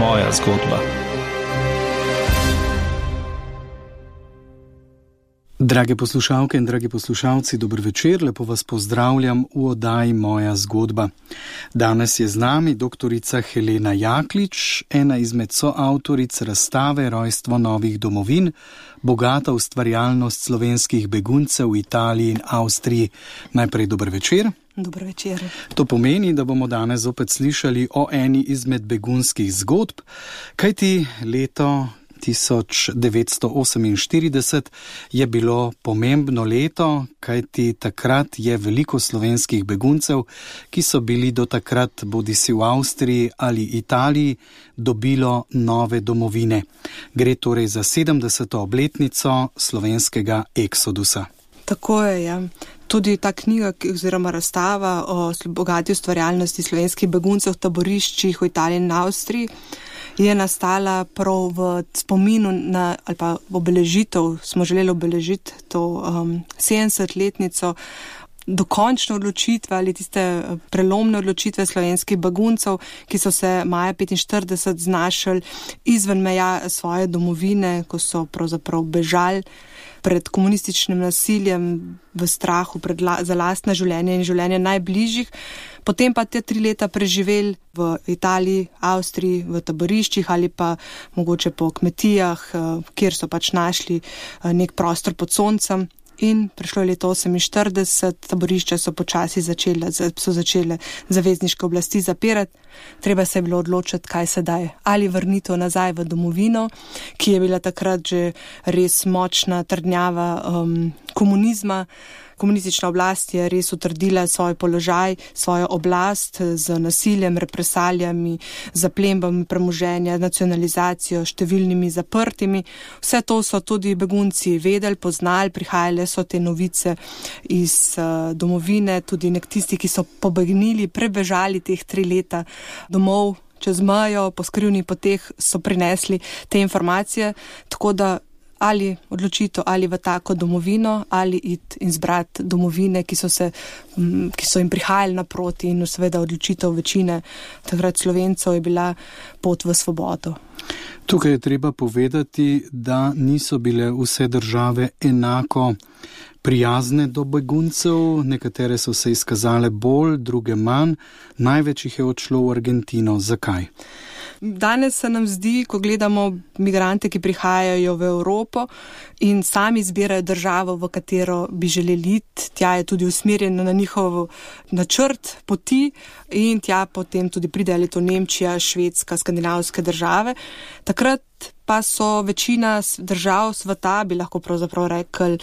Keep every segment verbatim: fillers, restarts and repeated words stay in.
moja zgodba. Drage poslušalke in dragi poslušalci, dober večer, lepo vas pozdravljam v oddaji Moja zgodba. Danes je z nami doktorica Helena Jaklič, ena izmed soavtoric razstave Rojstvo novih domovin, bogata ustvarjalnost slovenskih beguncev v Italiji in Avstriji. Najprej dober večer. Dober večer. To pomeni, da bomo danes opet slišali o eni izmed begunskih zgodb, kajti leto tisoč devetsto oseminštirideset je bilo pomembno leto, kajti takrat je veliko slovenskih beguncev, ki so bili do takrat bodisi v Avstriji ali Italiji, dobilo nove domovine. Gre torej za sedemdeseto obletnico slovenskega eksodusa. Tako je, ja. Tudi ta knjiga oziroma razstava o bogati ustvarjalnosti slovenskih beguncev v taboriščih v Italiji in Avstriji je nastala prav v spominu na, ali pa obeležitev, smo želeli obeležiti to um, sedemdesetletnico dokončne odločitve ali tiste prelomne odločitve slovenskih beguncev, ki so se maja petinštirideset znašli izven meja svoje domovine, ko so pravzaprav bežali pred komunističnim nasiljem, v strahu pred la, za lastne življenje in življenje najbližjih. Potem pa te tri leta preživeli v Italiji, Avstriji, v taboriščih ali pa mogoče po kmetijah, kjer so pač našli nek prostor pod soncem. In prišlo je leto oseminštirideset, taborišča so počasi začele, so začele zavezniške oblasti zapirati. Treba se je bilo odločiti, kaj sedaj. Ali vrnitev nazaj v domovino, ki je bila takrat že res močna trdnjava um, komunizma. Komunistična oblast je res utrdila svoj položaj, svojo oblast z nasiljem, represalijami, zaplembami premoženja, nacionalizacijo, številnimi zaprtimi. Vse to so tudi begunci vedeli, poznali, prihajale so te novice iz uh, domovine, tudi nek tisti, ki so pobegnili, prebežali teh tri leta domov, čez mejo, po skrivnih poteh so prinesli te informacije, tako da ali odločitev ali v tako domovino ali iti in zbrati domovine, ki so, se, ki so jim prihajali naproti, in seveda odločitev večine takrat Slovencev je bila pot v svobodo. Tukaj je treba povedati, da niso bile vse države enako prijazne do beguncev, nekatere so se izkazale bolj, druge manj, največ jih je odšlo v Argentino. Zakaj? Danes se nam zdi, ko gledamo migrante, ki prihajajo v Evropo in sami izbirajo državo, v katero bi želeli iti, tja je tudi usmerjeno na njihov načrt poti in tja potem tudi pride ali to Nemčija, Švedska, skandinavske države. Takrat pa so večina držav sveta, bi lahko pravzaprav rekli,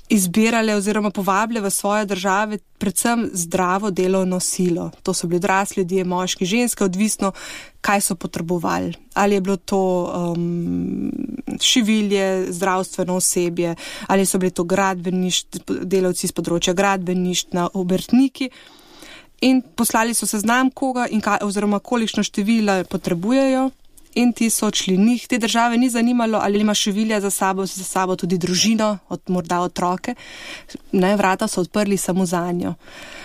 izbirale oziroma povabile v svoje države predvsem zdravo delovno silo. To so bili odrasli ljudje, moški, ženske, odvisno, kaj so potrebovali. Ali je bilo to um, šivilje, zdravstveno osebje, ali so bili to delavci z področja gradbeništva, obrtniki. In poslali so seznam koga in kaj, oziroma kolikšno število potrebujejo. In ti so odšli njih. Te države ni zanimalo, ali ima šivilja za sabo, za sabo tudi družino, od, morda otroke. Ne, vrata so odprli samo za njo.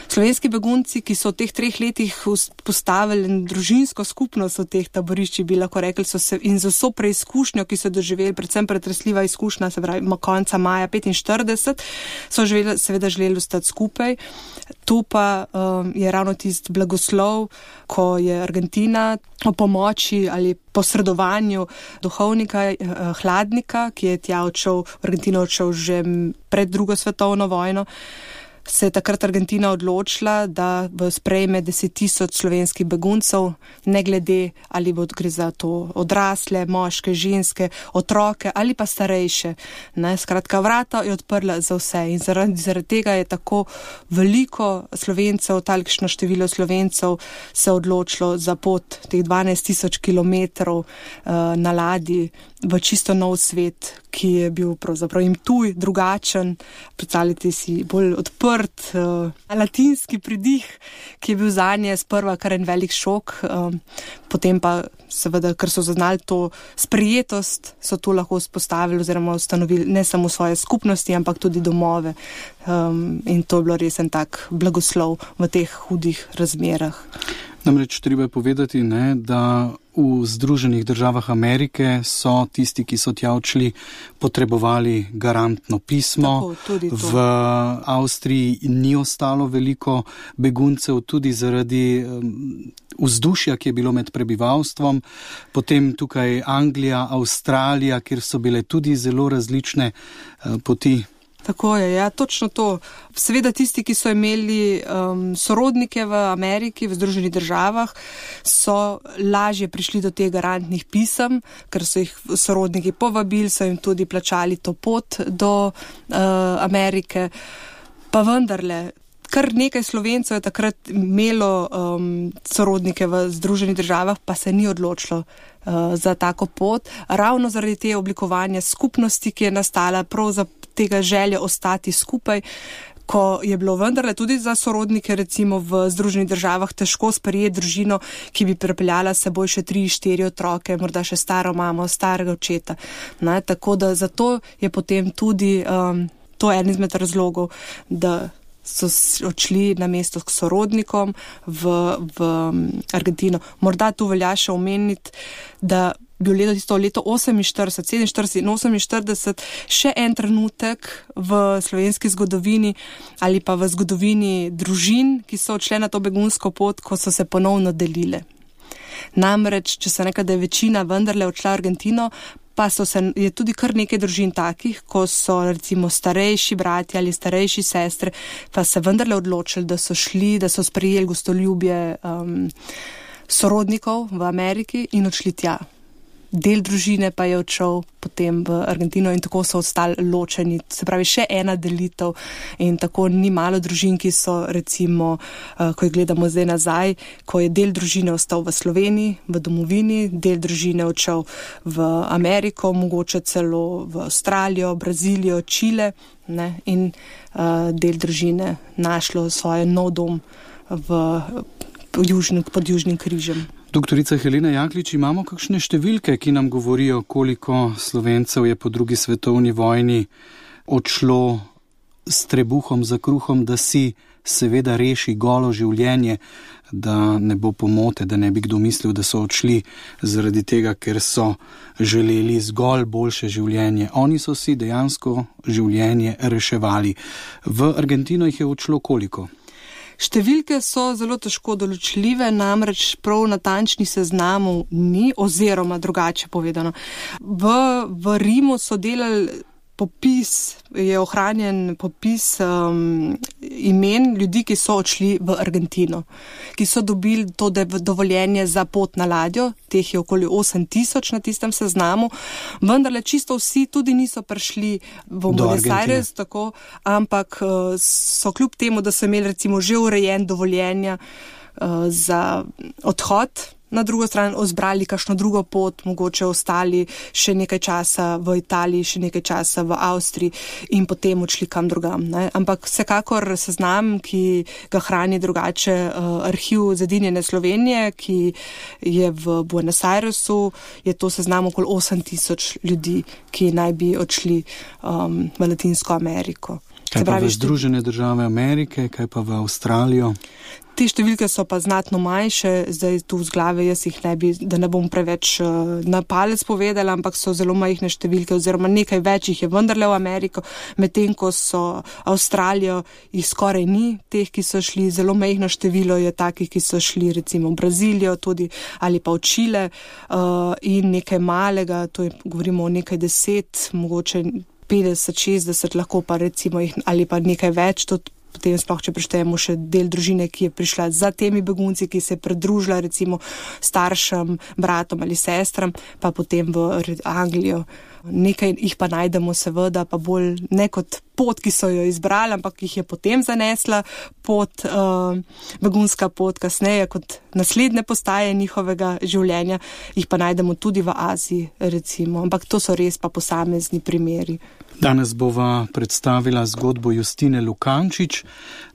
Slovenski begunci, ki so v teh treh letih postavili družinsko skupnost v teh taboriščih, bi lahko rekli, so se in z vso preizkušnjo, ki so doživeli, predvsem pretresljiva izkušnja, se pravi, konca maja petinštirideset, so živeli, seveda želeli ostati skupaj. Tu pa um, je ravno tisti blagoslov, ko je Argentina o pomoči ali posredovanju duhovnika eh, Hladnika, ki je tja odšel, v Argentino odšel že pred drugo svetovno vojno, se je takrat Argentina odločila, da sprejme deset tisoč slovenskih beguncev, ne glede ali bo gre za to odrasle, moške, ženske, otroke ali pa starejše. Ne, skratka, vrata je odprla za vse in zaradi, zaradi tega je tako veliko Slovencev, talikšno število Slovencev se odločilo za pot teh dvanajst tisoč kilometrov uh, na ladji v čisto nov svet, ki je bil pravzaprav jim tuj, drugačen, predstavljate si bolj odprt, uh, latinski pridih, ki je bil zanje sprva kar en velik šok, uh, potem pa seveda, ker so zaznali to sprijetost, so to lahko vzpostavili oziroma ustanovili ne samo svoje skupnosti, ampak tudi domove. Um, in to je bilo res en tak blagoslov v teh hudih razmerah. Namreč treba je povedati, ne, da v Združenih državah Amerike so tisti, ki so tja odšli, potrebovali garantno pismo. Tako, v Avstriji ni ostalo veliko beguncev, tudi zaradi vzdušja, ki je bilo med prebivalstvom. Potem tukaj Anglija, Avstralija, kjer so bile tudi zelo različne poti. Tako je, ja, točno to. Seveda tisti, ki so imeli um, sorodnike v Ameriki, v Združenih državah, so lažje prišli do teh garantnih pisem, ker so jih sorodniki povabili, so jim tudi plačali to pot do uh, Amerike. Pa vendarle, kar nekaj Slovencev je takrat imelo um, sorodnike v Združenih državah, pa se ni odločilo uh, za tako pot, ravno zaradi te oblikovanja skupnosti, ki je nastala prav za tega želje ostati skupaj, ko je bilo vendarle tudi za sorodnike recimo v Združenih državah težko sprejeti družino, ki bi pripeljala s seboj še tri, štiri otroke, morda še staro mamo, starega očeta. Ne? Tako da zato je potem tudi um, to en izmed razlogov, da so odšli na mesto k sorodnikom v, v Argentino. Morda tu velja še omeniti, da bil leto tisto leto oseminštirideset, sedeminštirideset in oseminštirideset še en trenutek v slovenski zgodovini ali pa v zgodovini družin, ki so odšle na to begunsko pot, ko so se ponovno delile. Namreč, če se nekaj, da je večina vendarle odšla v Argentino, pa so se, je tudi kar nekaj družin takih, ko so recimo starejši brati ali starejši sestre, pa se vendarle odločili, da so šli, da so sprejeli gostoljubje um, sorodnikov v Ameriki in odšli tja. Del družine pa je odšel potem v Argentino in tako so ostali ločeni. Se pravi, še ena delitev in tako ni malo družin, ki so recimo, ko jih gledamo zdaj nazaj, ko je del družine ostal v Sloveniji, v domovini, del družine odšel v Ameriko, mogoče celo v Avstralijo, Brazilijo, Čile, ne, in uh, del družine našlo svoj nov dom v, južni, pod Južnim križem. Doktorica Helena Jaklič, imamo kakšne številke, ki nam govorijo, koliko Slovencev je po drugi svetovni vojni odšlo s trebuhom za kruhom, da si seveda reši golo življenje, da ne bo pomote, da ne bi kdo mislil, da so odšli zaradi tega, ker so želeli zgolj boljše življenje. Oni so si dejansko življenje reševali. V Argentino jih je odšlo koliko? Številke so zelo težko določljive, namreč prav natančnih seznamov ni, oziroma drugače povedano. V, v Rimu so delali popis, je ohranjen popis um, imen ljudi, ki so odšli v Argentino, ki so dobili to dovoljenje za pot na ladjo, teh je okoli osem tisoč na tistem seznamu, vendarle čisto vsi tudi niso prišli v Buenos Aires, tako, ampak uh, so kljub temu, da so imeli recimo že urejen dovoljenja uh, za odhod, na drugo stran ozbrali kakšno drugo pot, mogoče ostali še nekaj časa v Italiji, še nekaj časa v Avstriji in potem odšli kam drugam. Ne? Ampak vsekakor seznam, ki ga hrani drugače uh, arhiv Zedinjene Slovenije, ki je v Buenos Airesu, je to seznam okoli osem tisoč ljudi, ki naj bi odšli um, v Latinsko Ameriko. Kaj pa v Združene države Amerike, kaj pa v Avstralijo? Te številke so pa znatno manjše, zdaj tu z glave jaz jih ne bi, da ne bom preveč uh, na palec povedala, ampak so zelo majhne številke oziroma nekaj več jih je vendarle v Ameriko, medtem ko so Avstralijo, jih skoraj ni, teh, ki so šli, zelo majhno število je takih, ki so šli recimo v Brazilijo tudi ali pa v Čile uh, in nekaj malega, to je, govorimo o nekaj deset, mogoče petdeset, šestdeset, lahko pa recimo jih ali pa nekaj več, tudi potem sploh, če preštejemo še del družine, ki je prišla za temi begunci, ki se je pridružila recimo staršem, bratom ali sestram, pa potem v Anglijo. Nekaj jih pa najdemo seveda, pa bolj ne kot pot, ki so jo izbrali, ampak jih je potem zanesla pot, uh, begunska pot kasneje kot naslednje postaje njihovega življenja, jih pa najdemo tudi v Aziji recimo, ampak to so res pa posamezni primeri. Danes bova predstavila zgodbo Justine Lukančič.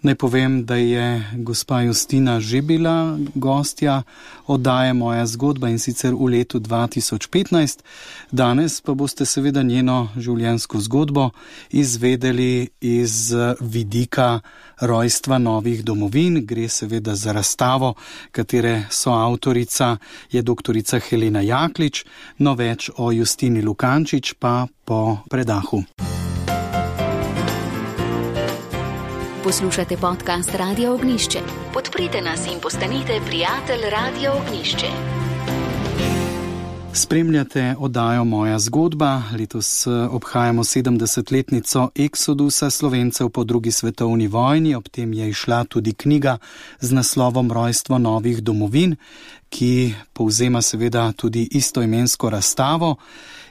Naj povem, da je gospa Justina že bila gostja oddaje Moja zgodba in sicer v letu dva tisoč petnajst. Danes pa boste seveda njeno življenjsko zgodbo izvedeli spremljali iz vidika rojstva novih domovin. Gre seveda za razstavo, katere soavtorica je doktorica Helena Jaklič, no več o Justini Lukančič pa po predahu. Poslušate podcast Radio Ognjišče. Podprite nas in postanite prijatelj Radio Ognjišče. Spremljate oddajo Moja zgodba. Letos obhajamo sedemdesetletnico eksodusa Slovencev po drugi svetovni vojni. Ob tem je izšla tudi knjiga z naslovom Rojstvo novih domovin, ki povzema seveda tudi istoimensko razstavo.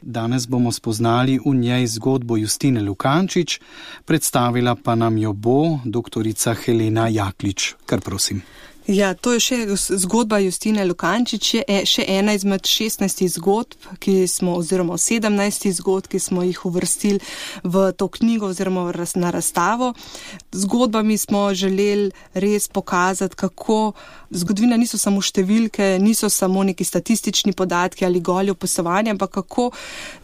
Danes bomo spoznali v njej zgodbo Justine Lukančič, predstavila pa nam jo bo doktorica Helena Jaklič. Kar prosim. Ja, to je še zgodba Justine Lukančič, je še ena izmed šestnajstih zgodb, ki smo, oziroma sedemnajstih zgodb, ki smo jih uvrstili v to knjigo oziroma na razstavo. Zgodbami smo želeli res pokazati, kako zgodovina niso samo številke, niso samo neki statistični podatki ali goli opisovanja, ampak kako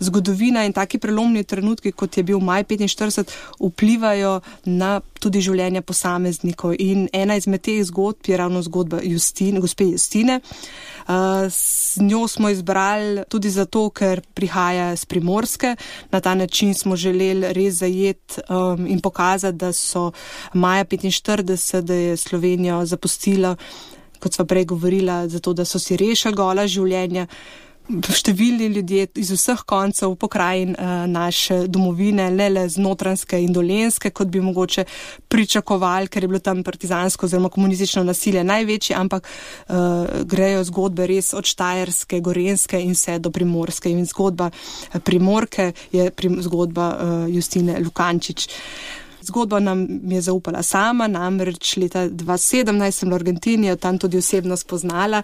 zgodovina in taki prelomni trenutki, kot je bil maj petinštirideset, vplivajo na tudi življenje posameznikov. In ena izmed teh zgodb je ravno zgodba Justine, gospe Justine. S njo smo izbrali tudi zato, ker prihaja z Primorske. Na ta način smo želeli res zajeti um, in pokazati, da so maja petinštirideset, da je Slovenijo zapustila, kot sva prej govorila, zato da so si rešili gola življenja. Številni ljudje iz vseh koncev pokrajin uh, naše domovine, ne le z Notranjske in Dolenjske, kot bi mogoče pričakovali, ker je bilo tam partizansko oziroma komunistično nasilje največje, ampak uh, grejo zgodbe res od Štajerske, Gorenjske in vse do Primorske. In zgodba Primorke je prim, zgodba uh, Justine Lukančič. Zgodbo nam je zaupala sama, namreč leta dva tisoč sedemnajst sem v Argentini jo tam tudi osebno spoznala.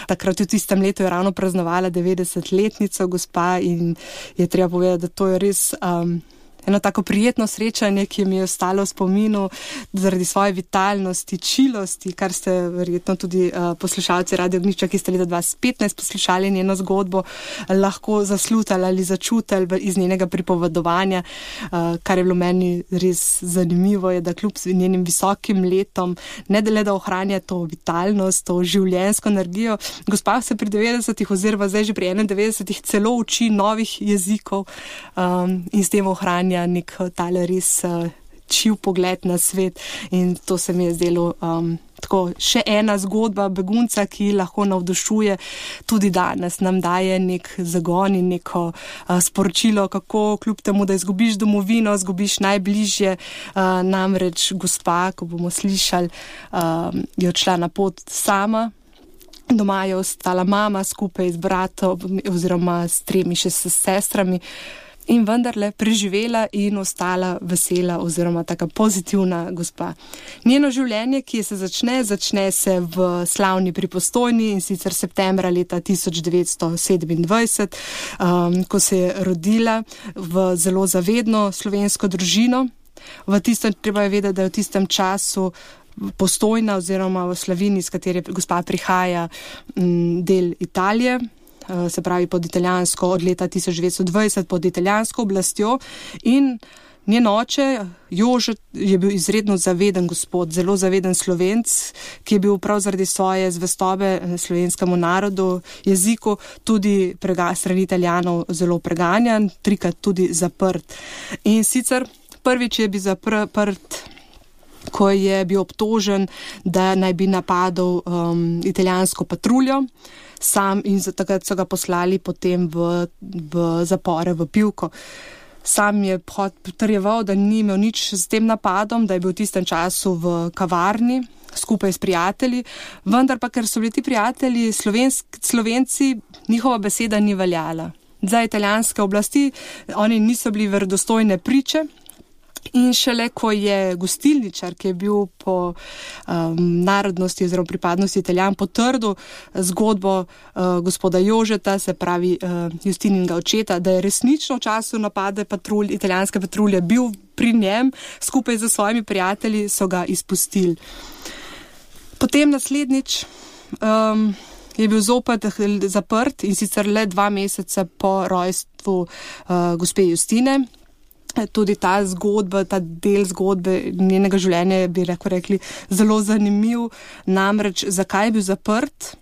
Takrat v tistem letu je ravno praznovala devetdesetletnico gospa in je treba povedati, da to je res um, eno tako prijetno srečanje, ki mi je ostalo v spominu zaradi svoje vitalnosti, čilosti, kar ste verjetno tudi uh, poslušalci Radio Ognjišča, ki ste leta dva tisoč petnajst poslušali njeno zgodbo, lahko zaslutali ali začutili iz njenega pripovedovanja. Uh, kar je bilo meni res zanimivo, je, da kljub njenim visokim letom, ne le da ohranja to vitalnost, to življenjsko energijo, gospa se pri devetdesetih oziroma zdaj že pri enaindevetdesetih celo uči novih jezikov um, in s tem ohranja nek tale res uh, čiv pogled na svet. In to se mi je zdelo um, tako še ena zgodba begunca, ki lahko navdušuje tudi danes, nam daje nek zagon in neko uh, sporočilo, kako kljub temu, da izgubiš domovino, izgubiš najbližje, uh, namreč gospa, ko bomo slišali, uh, je odšla na pot sama. Doma je ostala mama skupaj z bratom oziroma s tremi še s sestrami. In vendarle preživela in ostala vesela oziroma taka pozitivna gospa. Njeno življenje, ki se začne, začne se v slavni pri Postojni in sicer septembra leta tisoč devetsto sedemindvajset, um, ko se je rodila v zelo zavedno slovensko družino. V tistem, treba je vedeti, da je v tistem času Postojna oziroma v Slavini, iz katere gospa prihaja, m, del Italije, se pravi pod italijansko, od leta tisoč devetsto dvajset pod italijansko oblastjo, in njen oče Jože je bil izredno zaveden gospod, zelo zaveden Slovenc, ki je bil prav zaradi svoje zvestobe slovenskemu narodu, jeziku, tudi prega, strani Italijanov zelo preganjan, trikrat tudi zaprt. In sicer prvič je bil zaprt, ko je bil obtožen, da naj bi napadal um, italijansko patruljo, sam in takrat so ga poslali potem v, v zapore, v Pivko. Sam je potrjeval, da ni imel nič s tem napadom, da je bil v tistem času v kavarni skupaj s prijatelji, vendar pa, ker so bili ti prijatelji Slovensk, Slovenci, njihova beseda ni veljala. Za italijanske oblasti oni niso bili verodostojne priče. In šele, ko je gostilničar, ki je bil po um, narodnosti oziroma pripadnosti Italijan, potrdil zgodbo uh, gospoda Jožeta, se pravi uh, Justininega očeta, da je resnično v času napade patrulj, italijanske patrulje bil pri njem, skupaj z svojimi prijatelji so ga izpustili. Potem naslednjič um, je bil zopet zaprt in sicer le dva meseca po rojstvu uh, gospe Justine. tudi ta zgodba, ta del zgodbe njenega življenja bi lahko rekli zelo zanimiv, namreč zakaj je bil zaprt.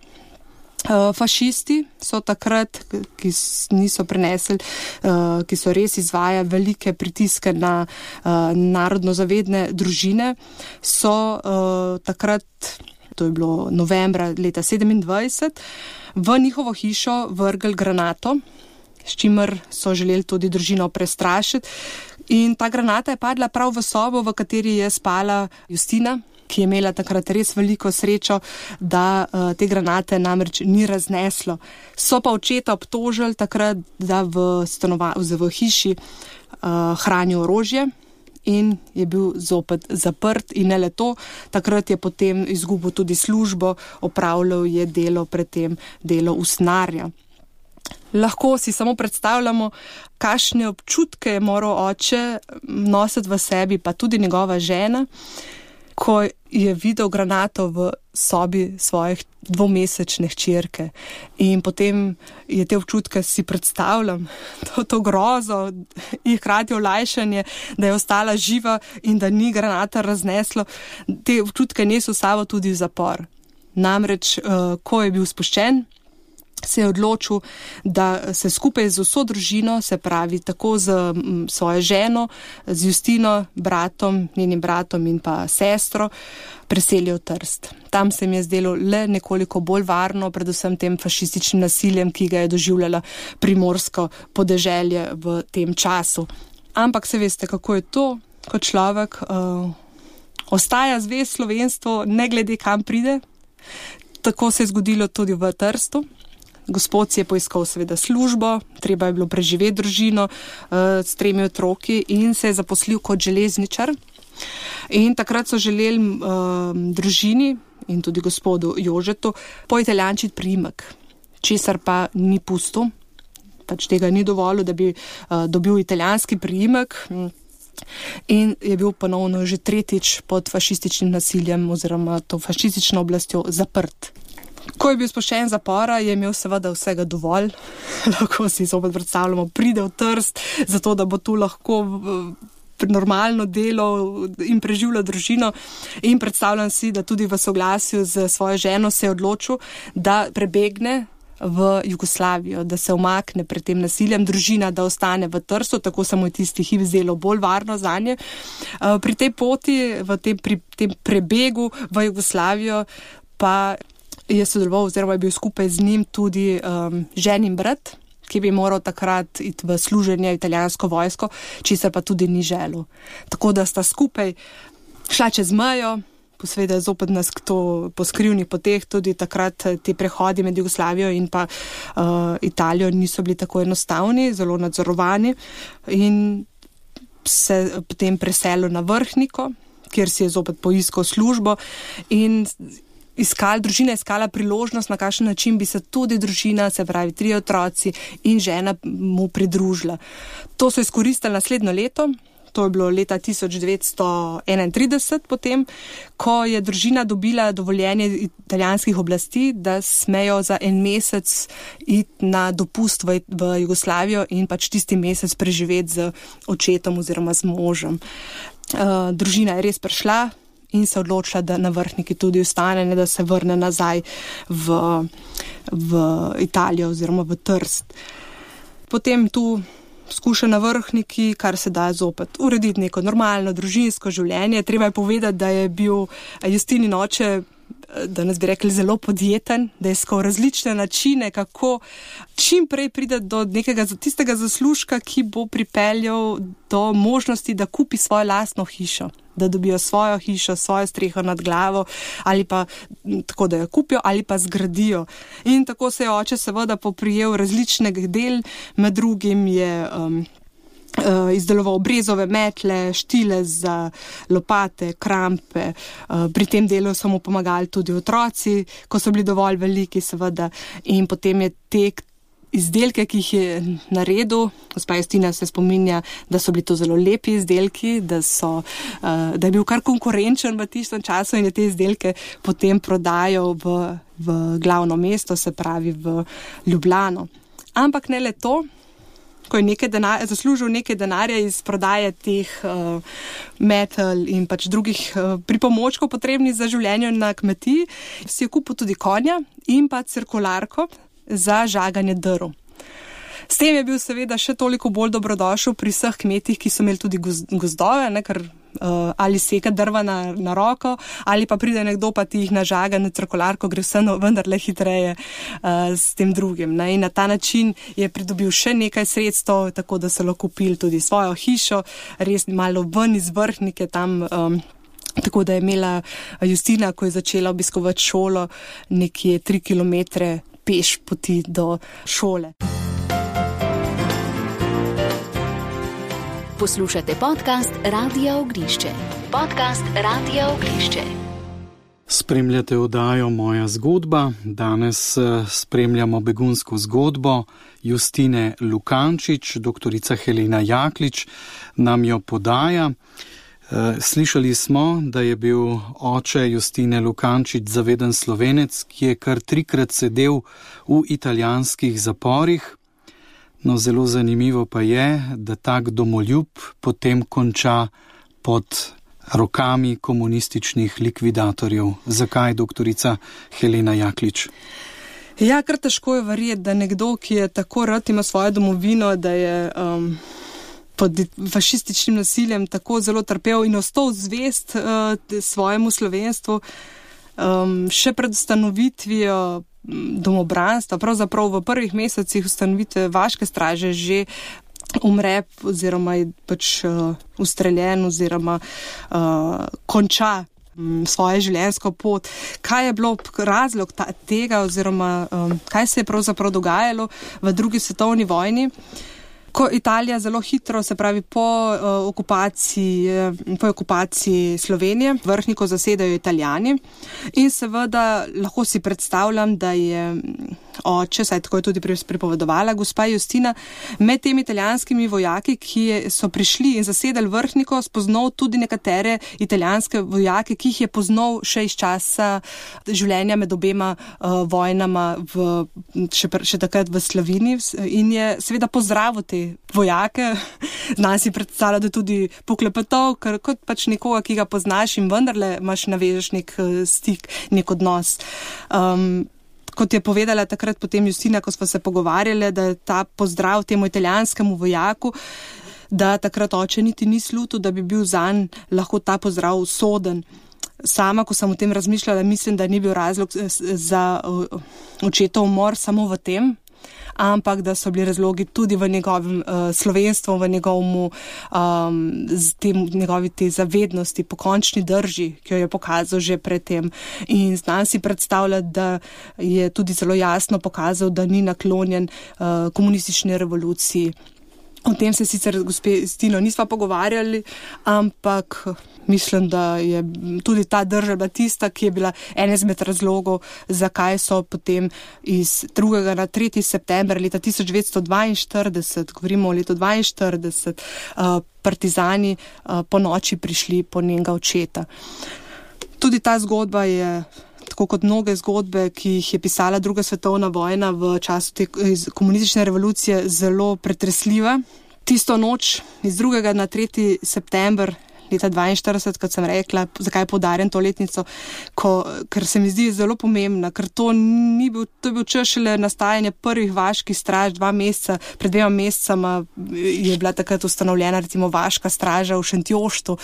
Fašisti so takrat, ki niso prenesli, ki so res izvajali velike pritiske na narodno zavedne družine, so takrat, to je bilo novembra leta sedemindvajset, v njihovo hišo vrgli granato, s čimer so želeli tudi družino prestrašiti. In ta granata je padla prav v sobo, v kateri je spala Justina, ki je imela takrat res veliko srečo, da uh, te granate namreč ni razneslo. So pa očeta obtožili takrat, da v, stanova, v hiši uh, hranijo orožje in je bil zopet zaprt in ne le to, takrat je potem izgubil tudi službo, opravljal je delo predtem delo usnarja. Lahko si samo predstavljamo, kakšne občutke je moral oče nositi v sebi, pa tudi njegova žena, ko je videl granato v sobi svojih dvomesečne hčerke. In potem je te občutke, si predstavljam, to, to grozo in hkrati olajšanje, da je ostala živa in da ni granata razneslo, te občutke nesel sabo tudi v zapor. Namreč, ko je bil spuščen, se je odločil, da se skupaj z vso družino, se pravi tako z svojo ženo, z Justino, bratom, njenim bratom in pa sestro, preselijo v Trst. Tam se mi je zdelo le nekoliko bolj varno, predvsem tem fašističnim nasiljem, ki ga je doživljala primorsko podeželje v tem času. Ampak se veste, kako je to, ko človek uh, ostaja zvest slovenstvu, ne glede kam pride. Tako se je zgodilo tudi v Trstu. Gospod si je poiskal seveda službo, treba je bilo preživeti družino uh, s tremi otroki in se je zaposlil kot železničar. In takrat so želeli uh, družini in tudi gospodu Jožetu poitalijančiti priimek, česar pa ni pustil, pač tega ni dovolil, da bi uh, dobil italijanski priimek. In je bil ponovno že tretjič pod fašističnim nasiljem oziroma to fašistično oblastjo zaprt. Ko je bil spuščen z zapora, je imel seveda vsega dovolj. Lahko si zopet predstavljamo, pride v Trst, zato da bo tu lahko normalno delo in preživljal družino. In predstavljam si, da tudi v soglasju z svojo ženo se je odločil, da prebegne v Jugoslavijo, da se umakne pred tem nasiljem, družina, da ostane v Trstu, tako se mu je tisti hip zdelo bolj varno zanje. Pri tej poti, v tem, pri tem prebegu v Jugoslavijo pa je sodeloval oziroma je bil skupaj z njim tudi um, ženin brat, ki bi moral takrat iti v služenje italijansko vojsko, česar pa tudi ni želel. Tako da sta skupaj šla čez mejo, posveda zopet nas kdo po skrivnih poteh, tudi takrat ti prehodi med Jugoslavijo in pa uh, Italijo niso bili tako enostavni, zelo nadzorovani in se potem preselil na Vrhniko, kjer si je zopet poiskal službo in Iskal, družina je iskala priložnost, na kakšen način bi se tudi družina, se pravi tri otroci in žena mu pridružila. To so izkoristili naslednjo leto, to je bilo leta tisoč devetsto enaintrideset potem, ko je družina dobila dovoljenje italijanskih oblasti, da smejo za en mesec iti na dopust v, v Jugoslavijo in pač tisti mesec preživeti z očetom oziroma z možem. Uh, družina je res prišla in se odločila, da na Vrhniki tudi ostane, ne da se vrne nazaj v, v Italijo oziroma v Trst. Potem tu skuša na Vrhniki, kar se da zopet urediti neko normalno družinsko življenje. Treba je povedati, da je bil Justinin oče, danes bi rekli, zelo podjeten, da je iskal različne načine, kako čim prej pride do nekega tistega zaslužka, ki bo pripeljal do možnosti, da kupi svojo lastno hišo, da dobijo svojo hišo, svojo streho nad glavo ali pa tako, da jo kupijo ali pa zgradijo. In tako se je oče seveda poprijel različnih del, med drugim je um, Uh, izdeloval brezove metle, štile za lopate, krampe. Uh, pri tem delu so mu pomagali tudi otroci, ko so bili dovolj veliki, seveda. In potem je te izdelke, ki jih je naredil, gospa Justina se spominja, da so bili to zelo lepi izdelki, da, so, uh, da je bil kar konkurenčen v tistem času in je te izdelke potem prodajal v, v glavno mesto, se pravi v Ljubljano. Ampak ne le to. ko je nekaj denar, zaslužil nekaj denarja iz prodaje teh uh, metal in pač drugih uh, pripomočkov potrebnih za življenje na kmetiji, si je kupil tudi konja in pa cirkularko za žaganje drv. S tem je bil seveda še toliko bolj dobrodošel pri vseh kmetih, ki so imeli tudi gozdove, ne, ker uh, ali seka drva na, na roko, ali pa pride nekdo pa ti jih nažaga na cirkularko, gre vse no, vendarle hitreje uh, s tem drugim. Ne. In na ta način je pridobil še nekaj sredstev, tako da so lahko kupili tudi svojo hišo, res malo ven iz Vrhnike tam. Um, Tako da je imela Justina, ko je začela obiskovati šolo, nekje tri kilometre peš poti do šole. Poslušate podcast Radia Ognjišče. Podcast Radia Ognjišče. Spremljate oddajo Moja zgodba. Danes spremljamo begunsko zgodbo Justine Lukančič. Doktorica Helena Jaklič nam jo podaja. Slišali smo, da je bil oče Justine Lukančič zaveden Slovenec, ki je kar trikrat sedel v italijanskih zaporih. No, zelo zanimivo pa je, da tak domoljub potem konča pod rokami komunističnih likvidatorjev. Zakaj, doktorica Helena Jaklič? Ja, kar težko je verjeti, da nekdo, ki je tako rad ima svojo domovino, da je um, pod fašističnim nasiljem tako zelo trpel in ostal zvest uh, svojemu slovenstvu, um, še pred ustanovitvijo domobranstva, pravzaprav v prvih mesecih ustanovitve vaške straže že umre oziroma je pač uh, ustreljen oziroma uh, konča um, svoje življenjsko pot. Kaj je bilo razlog ta, tega oziroma um, kaj se je pravzaprav dogajalo v drugi svetovni vojni? Ko Italija zelo hitro, se pravi po uh, okupaciji, po okupaciji Slovenije, Vrhniko zasedajo Italijani in seveda lahko si predstavljam, da je oče, saj tako je tudi pripovedovala gospa Justina, med temi italijanskimi vojaki, ki so prišli in zasedali Vrhniko, spoznal tudi nekatere italijanske vojake, ki jih je poznal še iz časa življenja med obema uh, vojnama v, še, še takrat v Sloveniji in je seveda pozdravil te vojake. Znam si predstavljati, da tudi poklepetov, ker kot pač nekoga, ki ga poznaš in vendarle imaš navežeš nek stik, nek odnos. Um, Kot je povedala takrat potem Justina, ko smo se pogovarjali, da je ta pozdrav temu italijanskemu vojaku, da takrat oče niti ni slutil, da bi bil zanj lahko ta pozdrav usoden. Sama, ko sem o tem razmišljala, mislim, da ni bil razlog za očetov umor samo v tem, ampak da so bili razlogi tudi v njegovem uh, slovenstvu, v njegovemu, um, tem, njegovi te zavednosti, pokončni drži, ki jo je pokazal že predtem. In znam si predstavljati, da je tudi zelo jasno pokazal, da ni naklonjen uh, komunistični revoluciji. O tem se sicer gospe Justino nisva pogovarjali, ampak mislim, da je tudi ta drža bila tista, ki je bila en izmed razlogov, zakaj so potem iz drugega na tretji september leta tisoč devetsto dvainštirideset, govorimo o letu dvainštirideset, partizani po noči prišli po njenega očeta. Tudi ta zgodba je, tako kot mnoge zgodbe, ki jih je pisala druga svetovna vojna v času te komunistične revolucije, zelo pretresljiva. Tisto noč iz drugega na tretji september leta dvainštirideset, kot sem rekla, zakaj poudarjam to letnico, ko, ker se mi zdi zelo pomembna, ker to ni bil, to je bil čas šele nastajanje prvih vaških straž, dva meseca, pred dvema mesecama je bila takrat ustanovljena recimo vaška straža v Šentjoštu,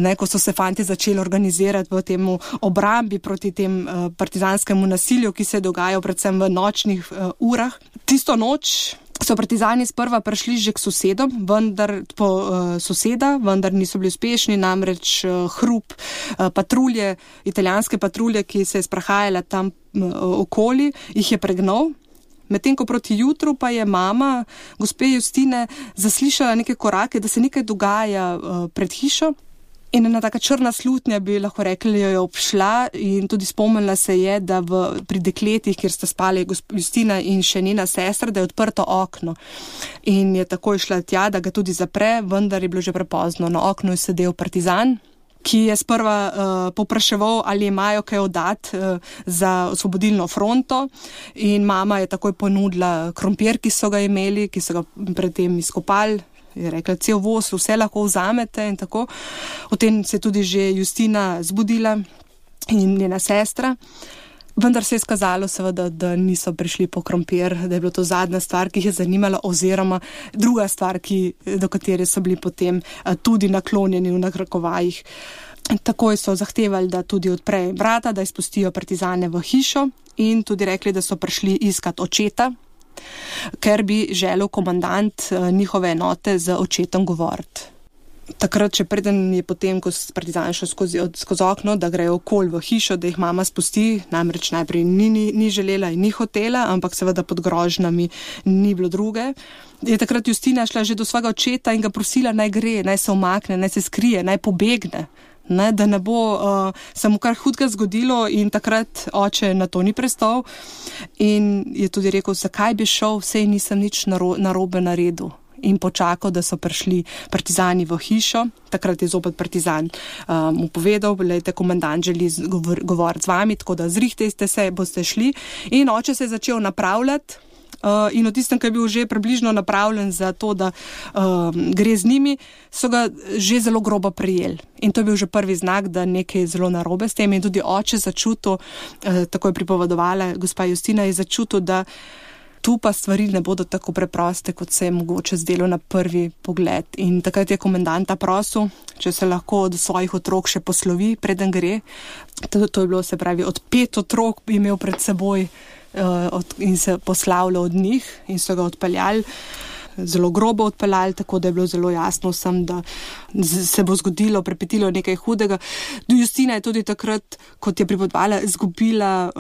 ne, ko so se fanti začeli organizirati v temu obrambi proti tem uh, partizanskemu nasilju, ki se je dogajal predvsem v nočnih uh, urah. Tisto noč so partizani sprva prišli že k sosedom, vendar po uh, soseda, vendar niso bili uspešni, namreč uh, hrup uh, patrulje, italijanske patrulje, ki se je sprahajala tam uh, okoli, jih je pregnal. Medtem ko proti jutru pa je mama gospe Justine zaslišala neke korake, da se nekaj dogaja uh, pred hišo. In ena taka črna slutnja, bi lahko rekli, jo je obšla in tudi spomnila se je, da v, pri dekletih, kjer sta spali Justina in še njena sestra, da je odprto okno. In je takoj šla tja, da ga tudi zapre, vendar je bilo že prepozno. Na oknu je sedel partizan ki je sprva uh, popraševal, ali imajo kaj oddati uh, za osvobodilno fronto, in mama je takoj ponudila krompir, ki so ga imeli, ki so ga predtem izkopali. Je rekla, cel voz, vse lahko vzamete in tako. O tem se je tudi že Justina zbudila in njena sestra. Vendar se je skazalo seveda, da niso prišli po krompir, da je bilo to zadnja stvar, ki jih je zanimala, oziroma druga stvar, ki, do katere so bili potem tudi naklonjeni v nakrakovajih. Takoj so zahtevali, da tudi odprejo vrata, da izpustijo partizane v hišo, in tudi rekli, da so prišli iskat očeta, ker bi želel komandant njihove enote z očetom govoriti. Takrat, če preden je potem, ko so partizani šli skozi, skozi okno, da grejo okoli v hišo, da jih mama spusti, namreč najprej ni, ni, ni želela in ni hotela, ampak seveda pod grožnami ni bilo druge. Je takrat Justina šla že do svojega očeta in ga prosila, naj gre, naj se umakne, naj se skrije, naj pobegne. Ne, da ne bo uh, samo kar hudega zgodilo, in takrat oče na to ni prestal in je tudi rekel, zakaj bi šel, sej nisem nič naro, narobe naredil, in počakal, da so prišli partizani v hišo. Takrat je zopet partizan um, mu povedal, lejte, komandant želi govor, govoriti z vami, tako da zrihtejte se, boste šli, in oče se je začel napravljati. Uh, in v tistem, ki je bil že približno napravljen za to, da uh, gre z njimi, so ga že zelo grobo prijeli. In to je bil že prvi znak, da nekaj je zelo narobe s tem. In tudi oče začutil, uh, tako je pripovedovala gospa Justina, je začutil, da tu pa stvari ne bodo tako preproste, kot se je mogoče zdelo na prvi pogled. In takrat je komandanta prosil, če se lahko od svojih otrok še poslovi, preden gre. To, to je bilo, se pravi, od pet otrok bi imel pred seboj in se poslavljal od njih, in so ga odpeljali, zelo grobo odpeljali, tako da je bilo zelo jasno vsem, da se bo zgodilo, prepetilo nekaj hudega. Justina je tudi takrat, kot je pripovedovala, izgubila,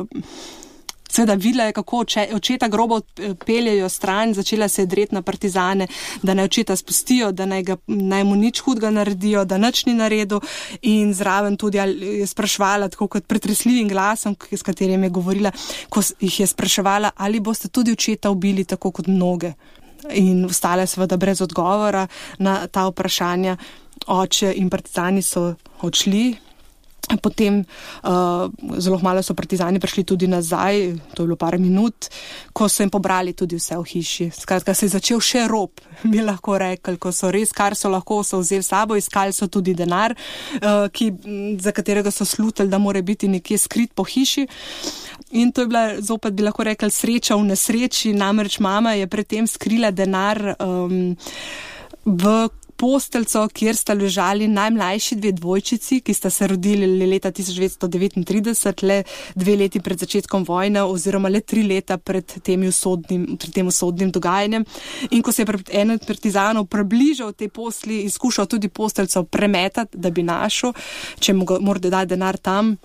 seveda videla je, kako oče, očeta grobo peljejo stran, začela se je dreti na partizane, da naj očeta spustijo, da naj, ga, naj mu nič hudega naredijo, da nič ni naredil, in zraven tudi je spraševala, tako kot pretresljivim glasom, s katerim je govorila, ko jih je spraševala, ali boste tudi očeta ubili tako kot mnoge. In ostale seveda brez odgovora na ta vprašanja. Oče in partizani so odšli. Potem uh, zelo malo so partizani prišli tudi nazaj, to je bilo par minut, ko so jim pobrali tudi vse v hiši. Skratka, se je začel še rob, bi lahko rekli, ko so res, kar so lahko, so vzeli sabo, iskali so tudi denar, uh, ki, za katerega so slutili, da mora biti nekje skrit po hiši. In to je bila zopet, bi lahko rekli, sreča v nesreči, namreč mama je predtem skrila denar um, v postelco, kjer sta ležali najmlajši dve dvojčici, ki sta se rodili leta tisoč devetsto devetintrideset, le dve leti pred začetkom vojne, oziroma le tri leta pred tem usodnim, pred tem usodnim dogajanjem. In ko se je en od partizanov približal tej posli in skušal tudi postelco premetati, da bi našel, če mu mora dati denar tam,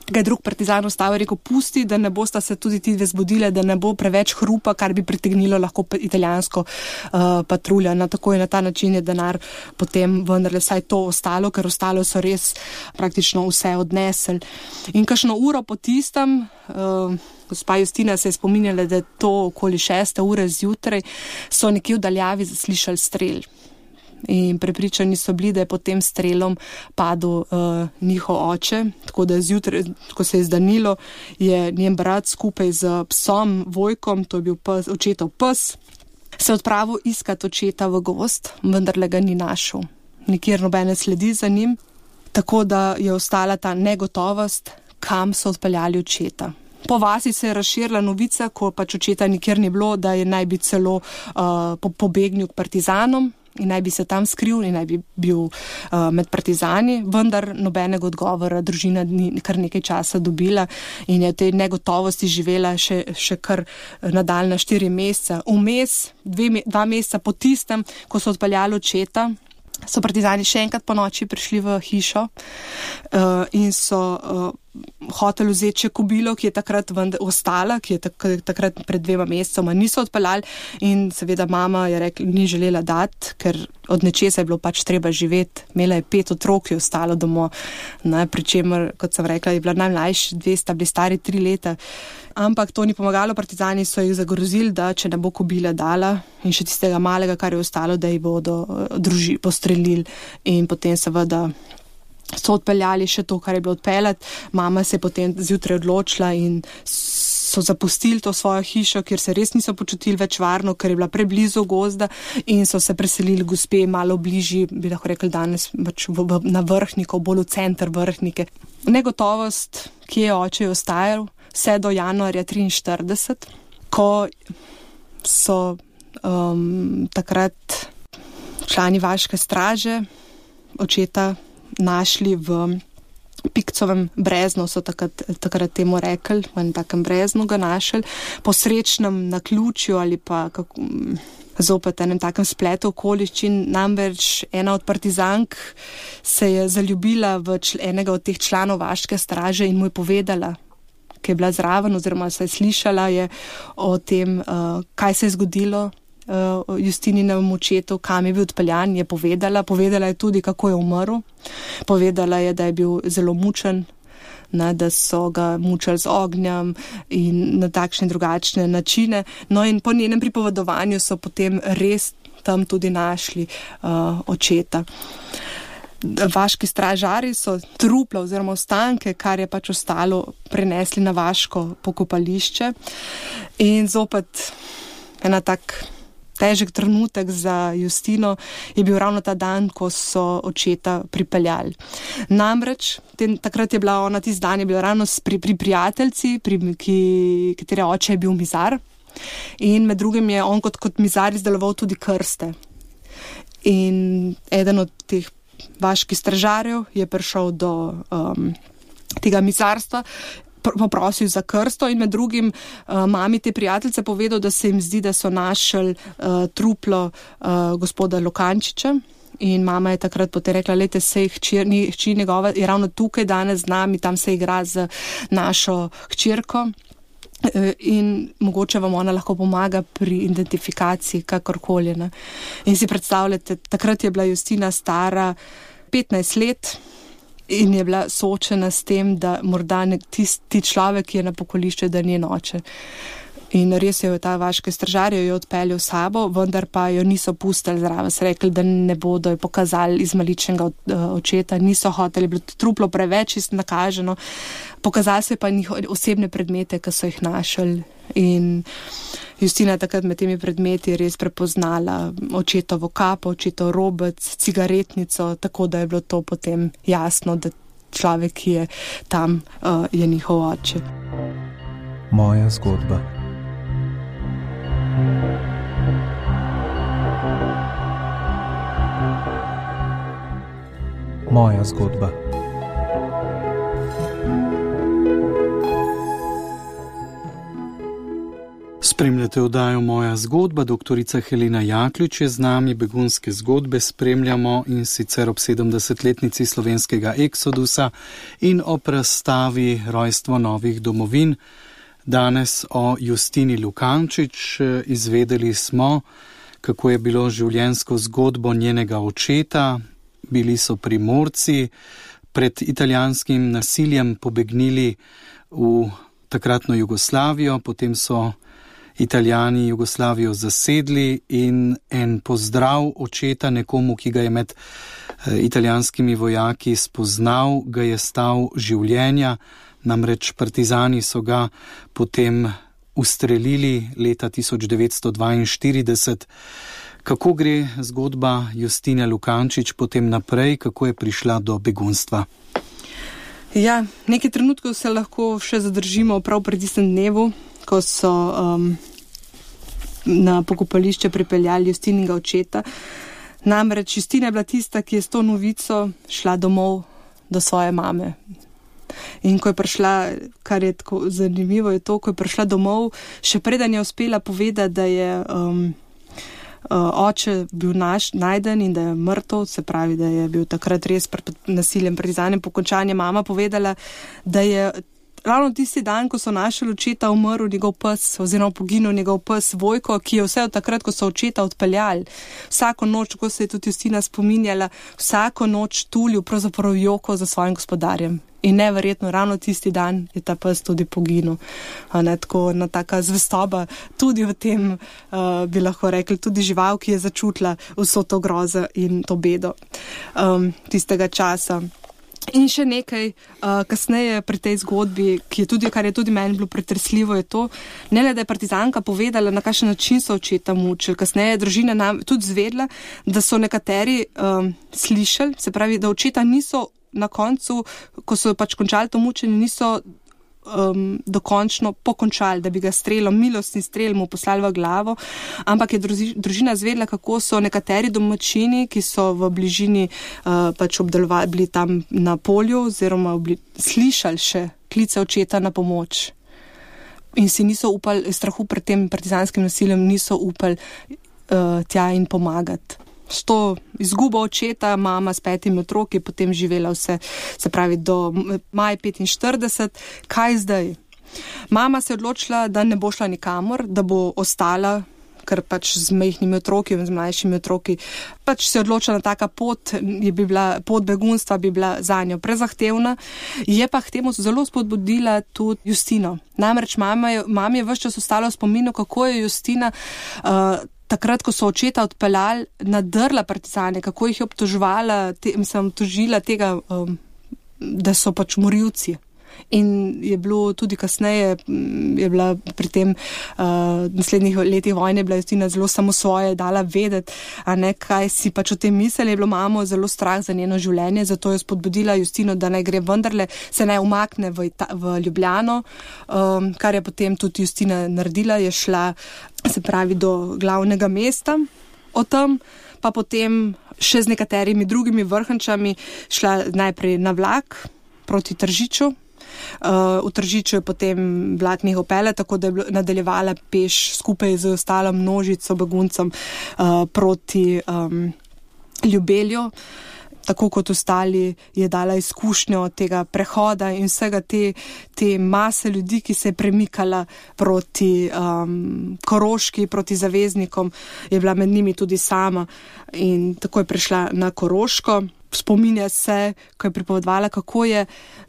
ga je drug partizan ustavil, rekel, pusti, da ne bosta se tudi ti dve zbudile, da ne bo preveč hrupa, kar bi pritegnilo lahko italijansko uh, patruljo. Na tako in na ta način je denar potem vendarle vsaj to ostalo, ker ostalo so res praktično vse odnesli. In kakšno uro po tistem, uh, gospa Justina se je spominjala, da je to okoli šeste ure zjutraj, so nekje v daljavi zaslišali strel. In prepričani so bili, da je pod tem strelom padel uh, njihov oče, tako da zjutraj, ko se je zdanilo, je njen brat skupaj z psom Vojkom, to je bil pes, očetov pes, se odpravil iskat očeta v gozd, vendar le ga ni našel. Nikjer nobene sledi za njim, tako da je ostala ta negotovost, kam so odpeljali očeta. Po vasi se je razširila novica, ko pač očeta nikjer ni bilo, da je naj bi celo uh, pobegnil k partizanom in naj bi se tam skril in naj bi bil uh, med partizani, vendar nobenega odgovora družina ni kar nekaj časa dobila in je v tej negotovosti živela še, še kar nadaljna štiri meseca. Vmes, dve, dva meseca po tistem, ko so odpeljali očeta, so partizani še enkrat po noči prišli v hišo uh, in so uh, hoteli vzeti še kobilo, ki je takrat ostala, ki je tak, takrat pred dvema mesecoma niso odpeljali, in seveda mama je rekla, ni želela dati, ker od nečesa je bilo pač treba živeti. Imela je pet otrok, ki je ostalo domov, ne, pri čemer, kot sem rekla, je bila najmlajši, dve sta bili stari tri leta. Ampak to ni pomagalo, partizani so jih zagrozili, da če ne bo kobila dala in še tistega malega, kar je ostalo, da jih bodo druži postrelili, in potem seveda so odpeljali še to, kar je bilo odpeljati. Mama se je potem zjutraj odločila in so zapustili to svojo hišo, kjer se res niso počutili več varno, ker je bila preblizu gozda in so se preselili gospe malo bližji, bi lahko rekli danes pač v, v, na Vrhnikov, bolj v center Vrhnike. Negotovost, ki je oče ostajal vse do januarja triinštirideset, ko so um, takrat člani vaške straže očeta našli v Pikcovem breznu, so takrat, takrat temu rekli, v enem takem breznu ga našli, po srečnem naključju ali pa kako, zopet enem takem spletu okoliščin. Namreč ena od partizank se je zaljubila v čl- enega od teh članov vaške straže in mu je povedala, ki je bila zraven oziroma se je slišala je o tem, uh, kaj se je zgodilo uh, Justininemu očetu, kam je bil odpeljan, je povedala. Povedala je tudi, kako je umrl. Povedala je, da je bil zelo mučen, ne, da so ga mučali z ognjem in na takšne drugačne načine. No in po njenem pripovedovanju so potem res tam tudi našli uh, očeta. Vaški stražari so trupla oziroma ostanke, kar je pač ostalo, prenesli na vaško pokopališče. In zopet ena tak težek trenutek za Justino je bil ravno ta dan, ko so očeta pripeljali. Namreč, ten, takrat je bila ona, tisti dan je bila ravno pri, pri prijateljci, pri, ki, katere oče je bil mizar. In med drugim je on kot, kot mizar izdeloval tudi krste. In eden od teh vaških stražarjev je prišel do um, tega mizarstva, poprosil za krsto in med drugim uh, mami te prijateljice povedal, da se jim zdi, da so našli uh, truplo uh, gospoda Lukančiča. In mama je takrat potem rekla, lejte, sej hči njegova je ravno tukaj danes z nami, tam se igra z našo hčerko in mogoče vam ona lahko pomaga pri identifikaciji kakorkoli. Ne. In si predstavljate, takrat je bila Justina stara petnajst let in je bila soočena s tem, da morda tisti človek, ki je na pokolišču, da ni oče. In res je ta vaške stražarje jo odpeljal sabo, vendar pa jo niso pustili zraven. So rekli, da ne bodo jo pokazali izmaličnega očeta, niso hoteli, bilo truplo preveč nakaženo. Pokazali so pa njihove osebne predmete, ki so jih našli. In Justina takrat med temi predmeti res prepoznala očetovo kapo, očetov robec, cigaretnico, tako da je bilo to potem jasno, da človek, ki je tam, uh, je njihov oče. Moja zgodba. Moja zgodba. Spremljate oddajo Moja zgodba, doktorica Helena Jaklič je z nami, begunske zgodbe spremljamo in sicer ob sedemdesetletnici slovenskega eksodusa in ob razstavi Rojstvo novih domovin. Danes o Justini Lukančič. Izvedeli smo, kako je bilo življenjsko zgodbo njenega očeta. Bili so Primorci, pred italijanskim nasiljem pobegnili v takratno Jugoslavijo, potem so Italijani Jugoslavijo zasedli in en pozdrav očeta nekomu, ki ga je med italijanskimi vojaki spoznal, ga je stal življenja. Namreč partizani so ga potem ustrelili leta tisoč devetsto dvainštirideset. Kako gre zgodba Justine Lukančič potem naprej, kako je prišla do begunstva? Ja, nekaj trenutkov se lahko še zadržimo prav pred tistem dnevu, ko so um, na pokopališče pripeljali Justininega očeta. Namreč Justina je bila tista, ki je s to novico šla domov do svoje mame. In ko je prišla, kar je tako zanimivo, je to, ko je prišla domov, še preden je uspela povedati, da je um, uh, oče bil naš, najden in da je mrtev, se pravi, da je bil takrat res pred nasiljem, partizanjem pokončanje, mama povedala, da je ravno tisti dan, ko so našli očeta, umrl njegov pes oziroma poginil njegov pes Vojko, ki je vse od takrat, ko so očeta odpeljali. Vsako noč, ko se je tudi Justina spominjala, vsako noč tulil pravzaprav joko za svojim gospodarjem. In neverjetno, ravno tisti dan je ta pes tudi poginil. Ne, tako ena taka zvestoba, tudi v tem, uh, bi lahko rekli, tudi žival, ki je začutila vso to grozo in to bedo um, tistega časa. In še nekaj, uh, kasneje pri tej zgodbi, ki je tudi, kar je tudi meni bilo pretresljivo, je to, ne le, da je partizanka povedala, na kakšen način so očeta mučili. Kasneje je družina nam tudi zvedla, da so nekateri um, slišali, se pravi, da očeta niso na koncu, ko so pač končali to mučenje, niso um, dokončno pokončali, da bi ga strelom, milostni strel mu poslali v glavo, ampak je druži, družina zvedla, kako so nekateri domačini, ki so v bližini uh, pač obdelovali, bili tam na polju oziroma obli, slišali še klice očeta na pomoč. In si niso upali, strahu pred tem partizanskim nasiljem, niso upali uh, tja in pomagati. S to izgubo očeta, mama s petimi otroki, potem živela vse, se pravi, do maja petinštirideset. Kaj zdaj? Mama se je odločila, da ne bo šla nikamor, da bo ostala, ker pač z majhnimi otroki, z mlajšimi otroki, pač se je odločila na taka pot, je bi bila, pot begunstva bi bila za njo prezahtevna. Je pa k temu zelo spodbudila tudi Justino. Namreč mama je, mama je ves čas ostala v spominu, kako je Justina uh, takrat, ko so očeta odpeljali, nadrla partizane, kako jih je obtoževala, te, mislim, obtožila tega, um, da so pač morilci. In je bilo tudi kasneje, je bila pri tem uh, naslednjih letih vojne, bila Justina zelo samosvoje, dala vedeti, a ne, kaj si pač o tem mislili. Je bilo mamo zelo strah za njeno življenje, zato je spodbudila Justino, da naj gre vendarle, se naj umakne v, Ita- v Ljubljano, um, kar je potem tudi Justina naredila, je šla, se pravi, do glavnega mesta. O tem pa potem še z nekaterimi drugimi vrhančami šla najprej na vlak proti Tržiču. Uh, v Tržiču je potem vlak njih opele, tako da je nadaljevala peš skupaj z ostalo množico beguncem uh, proti um, Ljubelju. Tako kot ostali je dala izkušnjo tega prehoda in vsega te, te mase ljudi, ki se je premikala proti um, Koroški, proti zaveznikom, je bila med njimi tudi sama in tako je prišla na Koroško. Spominja se, ko je pripovedovala, kako je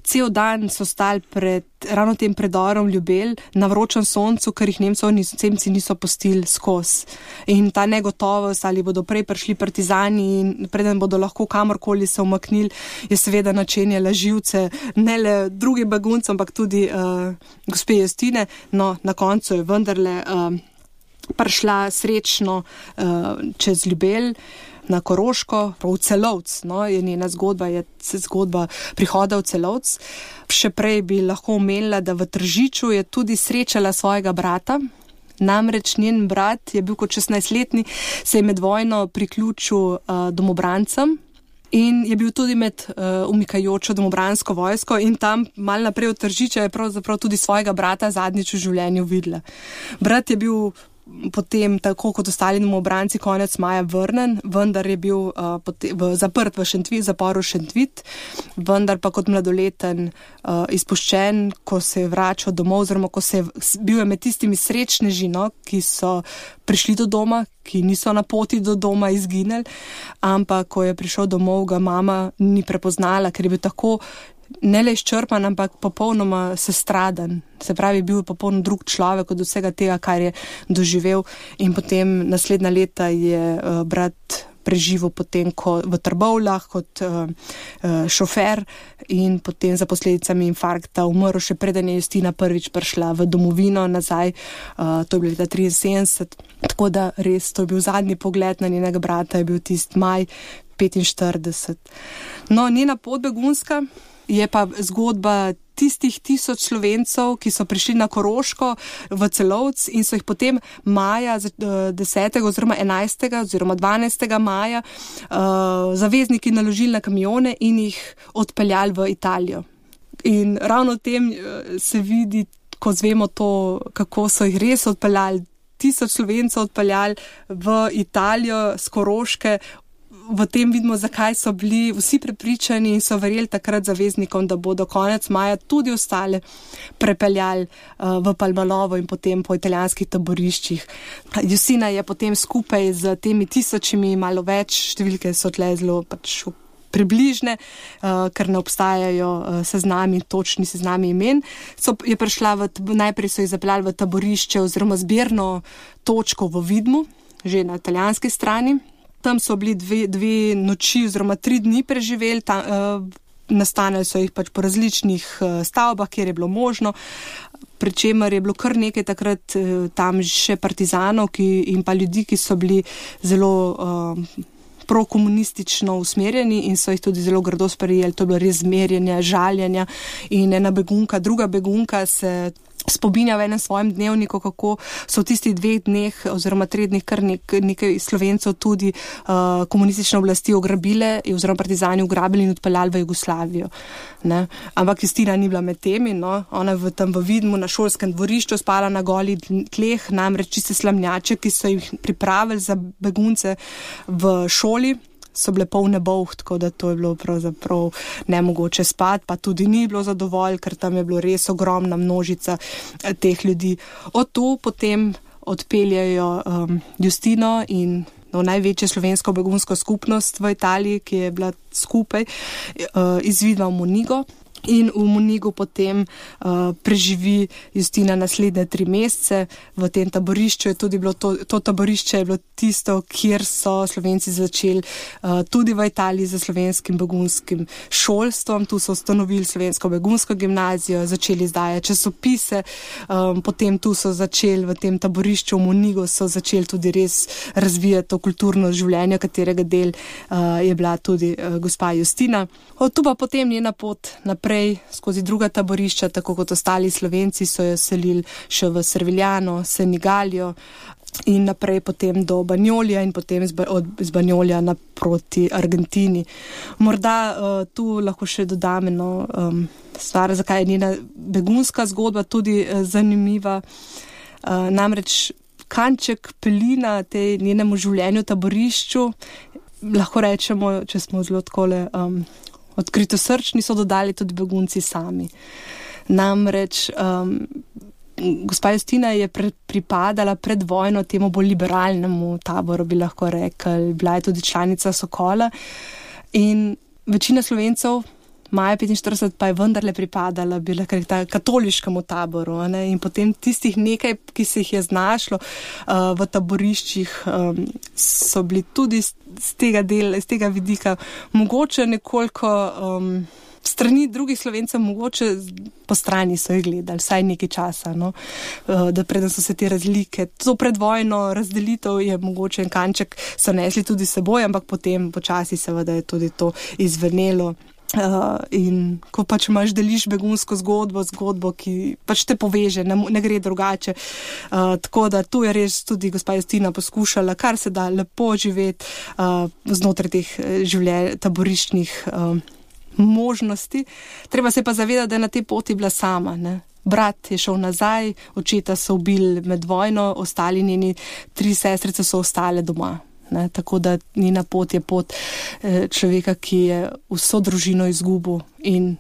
cel dan so stali pred ravno tem predorom Ljubelj na vročem soncu, ker jih Nemcev niso, Nemci niso pustili skozi. In ta negotovost, ali bodo prej prišli partizani in preden bodo lahko kamorkoli se umaknili, je seveda načenjala živce ne le drugim beguncem, ampak tudi uh, gospe Justine. No, na koncu je vendarle uh, prišla srečno uh, čez Ljubelj na Koroško, v Celovc, no, je njena zgodba, je zgodba prihoda v Celovc. Še prej bi lahko omenila, da v Tržiču je tudi srečala svojega brata. Namreč njen brat je bil kot šestnajstletni, se je med vojno priključil uh, domobrancem in je bil tudi med uh, umikajočo domobransko vojsko in tam mal naprej od Tržiča je pravzaprav tudi svojega brata zadnjič v življenju videla. Brat je bil potem, tako kot ostali domobranci, konec maja vrnen, vendar je bil uh, potem, v, zaprt v Šentvit, zaporu Šentvit, vendar pa kot mladoleten uh, izpuščen, ko se je vračal domov, oziroma ko se je bil je med tistimi srečneži, no, ki so prišli do doma, ki niso na poti do doma izginili, ampak ko je prišel domov, ga mama ni prepoznala, ker je bil tako ne le izčrpan, ampak popolnoma sestradan. Se pravi, bil je popolnoma drug človek od vsega tega, kar je doživel. In potem naslednja leta je uh, brat preživel potem ko, v Trbovljah kot uh, uh, šofer in potem za posledicami infarkta umrl, še preden je Justina prvič prišla v domovino nazaj. Uh, to je bilo leta triinsedemdeset. Tako da res, to je bil zadnji pogled na njenega brata, je bil tist maj petinštirideset. No, njena pot begunska je pa zgodba tistih tisoč Slovencev, ki so prišli na Koroško v Celovc in so jih potem maja, desetega oziroma enajstega oziroma dvanajstega maja uh, zavezniki naložili na kamione in jih odpeljali v Italijo. In ravno v tem se vidi, ko zvemo to, kako so jih res odpeljali, tisoč Slovencev odpeljali v Italijo z Koroške. V tem vidimo, zakaj so bili vsi prepričani in so verjeli takrat zaveznikom, da bodo konec maja tudi ostale prepeljali uh, v Palmalovo in potem po italijanskih taboriščih. Justina je potem skupaj z temi tisočimi, malo več, številke so tle zelo pač približne, uh, ker ne obstajajo uh, seznami, točni seznami imen. So, je prišla v, najprej so jih zapeljali v taborišče oziroma zbirno točko v Vidmu, že na italijanski strani. Tam so bili dve, dve noči oziroma tri dni preživeli tam, uh, nastanili so jih pač po različnih stavbah, kjer je bilo možno, pri čemer je bilo kar nekaj takrat tam še partizanov ki, in pa ljudi, ki so bili zelo uh, prokomunistično usmerjeni in so jih tudi zelo grdo sprejeli. To je bilo res zmerjanje, žaljenja in ena begunka, druga begunka se spominja v enem svojem dnevniku, kako so v tistih dveh dneh oziroma treh dneh kar nek, nekaj Slovencev tudi uh, komunistične oblasti ograbile oziroma partizani ugrabili in odpeljali v Jugoslavijo. Ne? Ampak Justina ni bila med temi, no? Ona je v, tam v Vidmu na šolskem dvorišču spala na goli tleh, namreč čiste slamnjače, ki so jih pripravili za begunce v šoli, so bile polne bolh, tako da to je bilo pravzaprav nemogoče spati, pa tudi ni bilo zadovolj, ker tam je bilo res ogromna množica teh ljudi. Od tu potem odpeljajo um, Justino in no, največjo slovensko begunsko skupnost v Italiji, ki je bila skupaj, uh, iz Vidma v Monigo. In v Monigu potem uh, preživi Justina naslednje tri mesece v tem taborišču. Je tudi bilo to, to taborišče je bilo tisto, kjer so Slovenci začeli uh, tudi v Italiji za slovenskim begunskim šolstvom. Tu so ustanovili slovensko begunsko gimnazijo, začeli izdajati časopise, um, potem tu so začeli v tem taborišču v Monigu, so začeli tudi res razvijati to kulturno življenje, katerega del uh, je bila tudi uh, gospa Justina. Od tu pa potem njena pot naprej skozi druga taborišča, tako kot ostali Slovenci, so jo selili še v Serviljano, Senigalijo in naprej potem do Banjolja in potem z Banjolja naproti Argentini. Morda uh, tu lahko še dodam eno um, stvar, zakaj je njena begunska zgodba tudi uh, zanimiva. Uh, namreč kanček pelina tej njenemu življenju taborišču, lahko rečemo, če smo zelo takole um, odkrito srčni, so dodali tudi begunci sami. Namreč um, gospa Justina je pre, pripadala pred vojno temu bolj liberalnemu taboru, bi lahko rekli. Bila je tudi članica Sokola in večina Slovencev, maja petinštirideset, pa je vendarle pripadala, bi lahko rekla, katoliškemu taboru. Ne? In potem tistih nekaj, ki se jih je znašlo uh, v taboriščih, um, so bili tudi z, z tega dela, z tega vidika mogoče nekoliko um, strani drugih Slovencev, mogoče po strani so jih gledali, vsaj nekaj časa, no? uh, da preden so se te razlike. To predvojno razdelitev je mogoče en kanček so nesli tudi seboj, ampak potem počasi seveda je tudi to izvenelo. Uh, in ko pač imaš, deliš begunsko zgodbo, zgodbo, ki pač te poveže, ne, ne gre drugače. Uh, tako da tu je res tudi gospa Justina poskušala, kar se da lepo živeti uh, znotraj teh življenj, taboriščnih uh, možnosti. Treba se pa zavedati, da je na tej poti bila sama, ne. Brat je šel nazaj, očeta so ubili med vojno, ostali njeni tri sestrice so ostale doma. Ne, tako da njena pot je pot eh, človeka, ki je vso družino izgubil in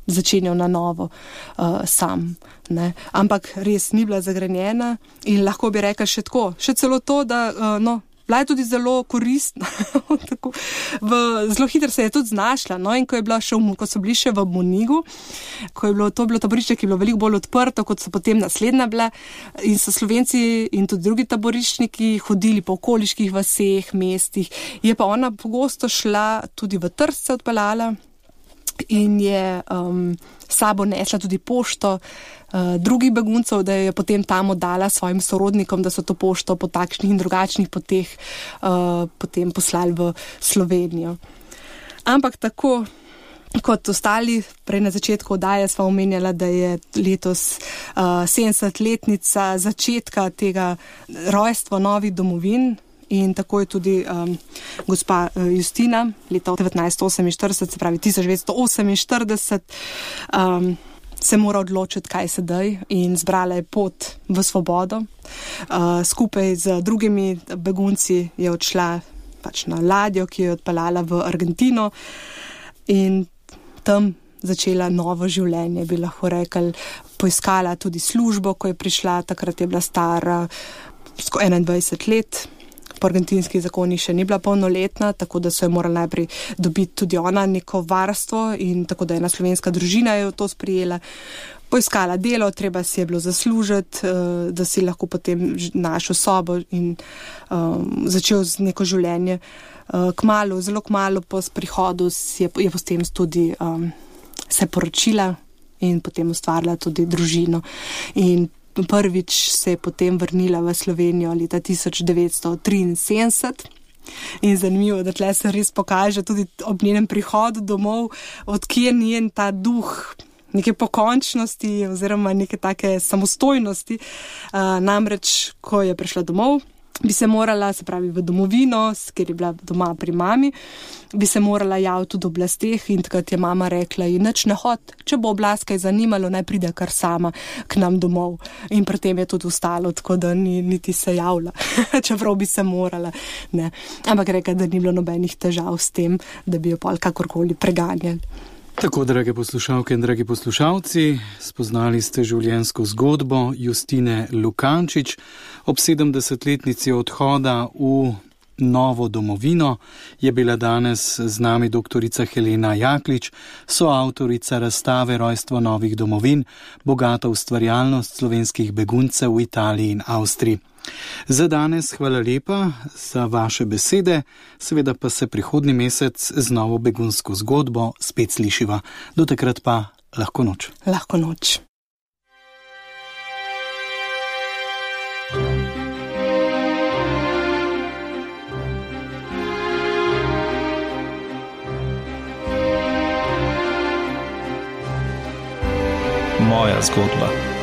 začenjal na novo uh, sam. Ne. Ampak res ni bila zagrenjena in lahko bi rekla še tako, še celo to, da uh, no, bila je tudi zelo koristna. Tako, v, zelo hitro se je tudi znašla. No? In ko, je bila še v, ko so bili še v Monigu, ko je bilo to bilo taborišče, ki je bilo veliko bolj odprto, kot so potem naslednja bila, in so Slovenci in tudi drugi taboriščniki hodili po okoliških vaseh, mestih, je pa ona pogosto šla tudi v Trst, se odpeljala in je um, sabo nesla tudi pošto uh, drugih beguncev, da jo je potem tam oddala svojim sorodnikom, da so to pošto po takšnih in drugačnih poteh uh, potem poslali v Slovenijo. Ampak tako kot ostali, prej na začetku oddaje sva omenjala, da je letos uh, sedemdesetletnica začetka tega rojstva novih domovin. In tako je tudi um, gospa uh, Justina leta devetnajststo oseminštirideset, se pravi tisoč devetsto oseminštirideset, um, se mora odločiti, kaj sedaj, in zbrala je pot v svobodo. Uh, skupaj z drugimi begunci je odšla pač na ladjo, ki jo je odpeljala v Argentino in tam začela novo življenje, bi lahko rekli. Poiskala tudi službo, ko je prišla, takrat je bila stara enaindvajset let. po argentinskih zakonih še ni bila polnoletna, tako da so jo morali najprej dobiti tudi ona neko varstvo in tako da ena slovenska družina je to sprijela. Poiskala delo, treba si je bilo zaslužiti, da si lahko potem našel sobo in um, začel z neko življenje. Kmalu, zelo kmalu po prihodu je, je potem tudi um, se poročila in potem ustvarila tudi družino. In prvič se je potem vrnila v Slovenijo leta tisoč devetsto triinsedemdeset. In zanimivo, da tle se res pokaže tudi ob njenem prihodu domov, odkje njen ta duh neke pokončnosti oziroma neke take samostojnosti. Uh, namreč, ko je prišla domov, bi se morala, se pravi v domovino, ker je bila doma pri mami, bi se morala javiti v oblasteh in takrat je mama rekla, in nič ne hod, če bo oblast kaj zanimalo, naj pride kar sama k nam domov. In pri tem je tudi ostalo, tako da ni niti se javila, čeprav bi se morala. Ne. Ampak rekla, da ni bilo nobenih težav s tem, da bi jo pol kakorkoli preganjali. Tako, drage poslušalke in dragi poslušalci, spoznali ste življenjsko zgodbo Justine Lukančič ob sedemdesetletnici odhoda v novo domovino. Je bila danes z nami doktorica Helena Jaklič, soavtorica razstave Rojstvo novih domovin, bogata ustvarjalnost slovenskih beguncev v Italiji in Avstriji. Za danes hvala lepa za vaše besede, seveda pa se prihodnji mesec z novo begunsko zgodbo spet slišiva. Do takrat pa lahko noč. Lahko noč. Moja zgodba.